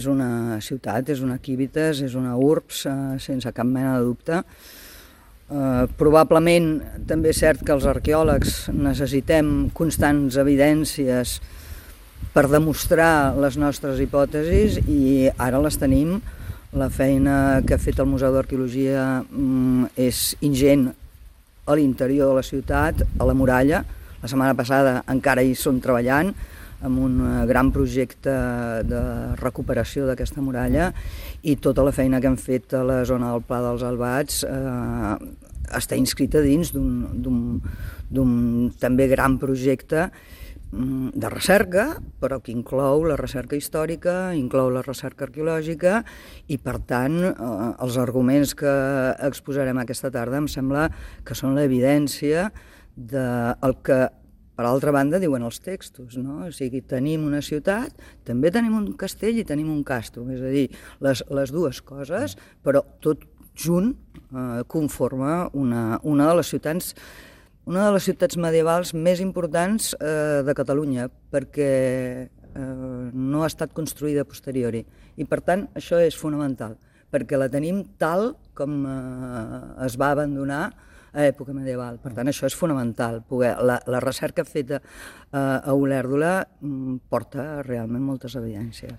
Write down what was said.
És una ciutat, és una Civitas, és una urbs, sense cap mena de dubte. Probablement també és cert que els arqueòlegs necessitem constants evidències per demostrar les nostres hipòtesis i ara les tenim. La feina que ha fet el Museu d'Arqueologia és ingent a l'interior de la ciutat, a la muralla. La setmana passada encara hi són treballant amb un gran projecte de recuperació d'aquesta muralla i tota la feina que han fet a la zona del Pla dels Albats està inscrita dins d'un també gran projecte de recerca, però que inclou la recerca històrica, inclou la recerca arqueològica i, per tant, els arguments que exposarem aquesta tarda em sembla que són l'evidència del que, per altra banda, diuen els textos, no? O sigui, tenim una ciutat, també tenim un castell i tenim un castrum, és a dir, les dues coses, però tot junt conforma una de les ciutats medievals més importants de Catalunya, perquè no ha estat construïda a posteriori. I, per tant, això és fonamental, perquè la tenim tal com es va abandonar a època medieval. Per tant, això és fonamental. La recerca feta a Olèrdola porta realment moltes evidències.